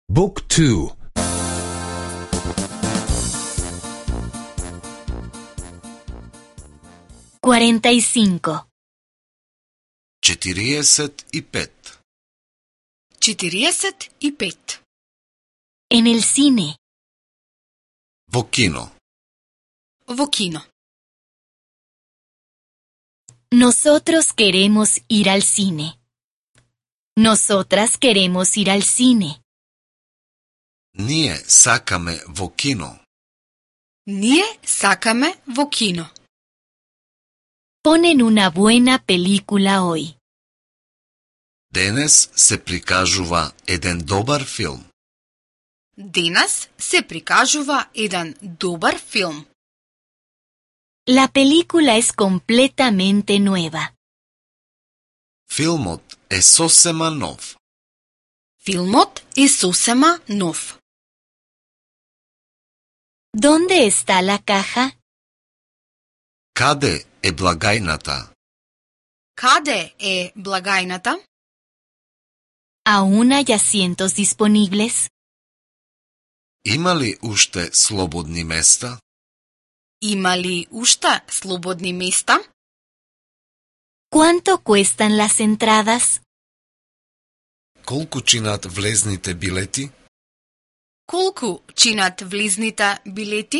Book 2. 45. 45. 45. En el cine. Во кино. Во кино. Nosotros queremos ir al cine. Nosotras queremos ir al cine. Ние сакаме во кино. Ние сакаме во кино. Ponen una buena película hoy. Денес се прикажува еден добар филм. Денес се прикажува еден добар филм. La película es completamente nueva. Филмот е сосема нов. Филмот е сосема нов. ¿Dónde está la caja? Каде е благајната? Каде е благајната? ¿Aún hay asientos disponibles? Има ли уште слободни места? Има ли уште слободни места? ¿Cuánto cuestan las entradas? Колку чинат влезните билети? Колку чинат влезните билети?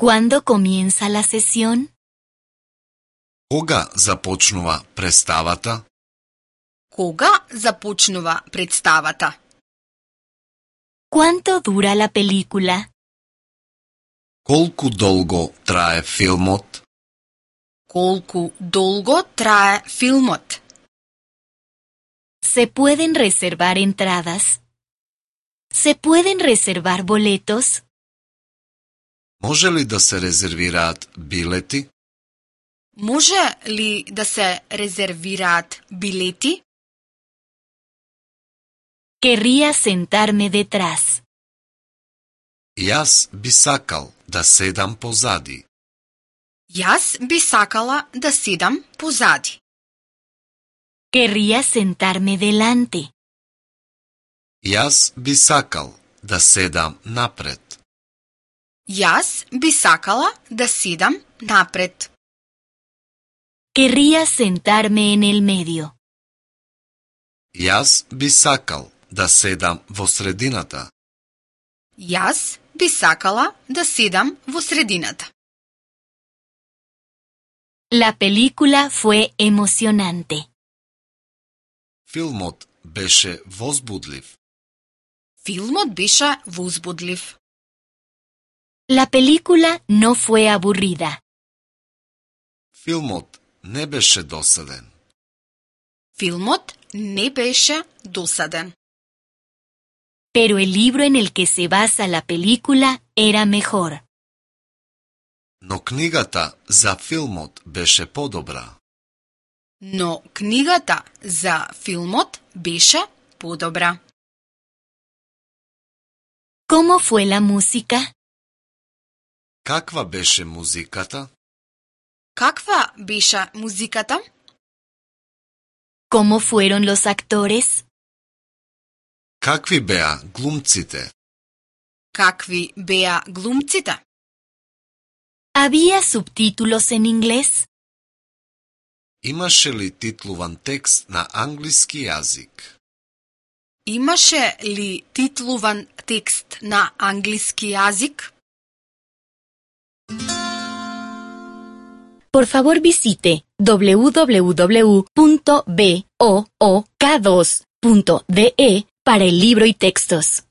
¿Cuándo comienza la sesión? Кога започнува представата? Кога започнува представата? ¿Cuánto dura la película? Колку долго трае филмот? Колку долго трае филмот? ¿Se pueden reservar entradas? ¿Se pueden reservar boletos? Може ли да се резервираат билети? Може ли да се резервираат билети? Querría sentarme detrás. Јас би сакал да седам позади. Јас би сакала да седам позади. Querría sentarme delante. Јас би сакал да седам напред. Јас би сакала да седам напред. Querría sentarme en el medio. Јас би сакал да седам во средината. Јас би сакала да седам во средината. La película fue emocionante. Филмот беше возбудлив. Филмот беше возбудлив. La película no fue aburrida. Филмот не беше досаден. Филмот не беше досаден. Pero el libro en el que se basa la película era mejor. Но книгата за филмот беше подобра. Но книгата за филмот беше подобра. ¿Cómo fue la música? Каква беше музиката? Каква беше музиката? ¿Cómo fueron los actores? Какви беа глумците? Какви беа глумците? ¿Había subtítulos en inglés? Имаше ли титлуван текст на англиски јазик? Имаше ли титлуван текст на англиски јазик? Por favor visite www.book2.de para el libro y textos.